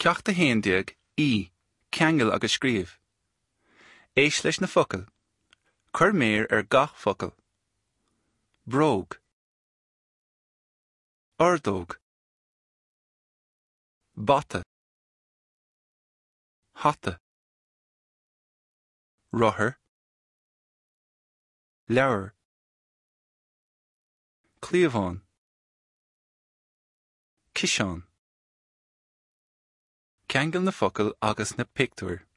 Ceacht 11, E, Ceangail agus scríobh. Éist leis na focail. Cuir méar ar gach focal. Bróg. Ordóg. Bata. Hata. Rothar. Leabhar. Cliabhán. Ciseán. Ceangail na focail agus na pictiúir.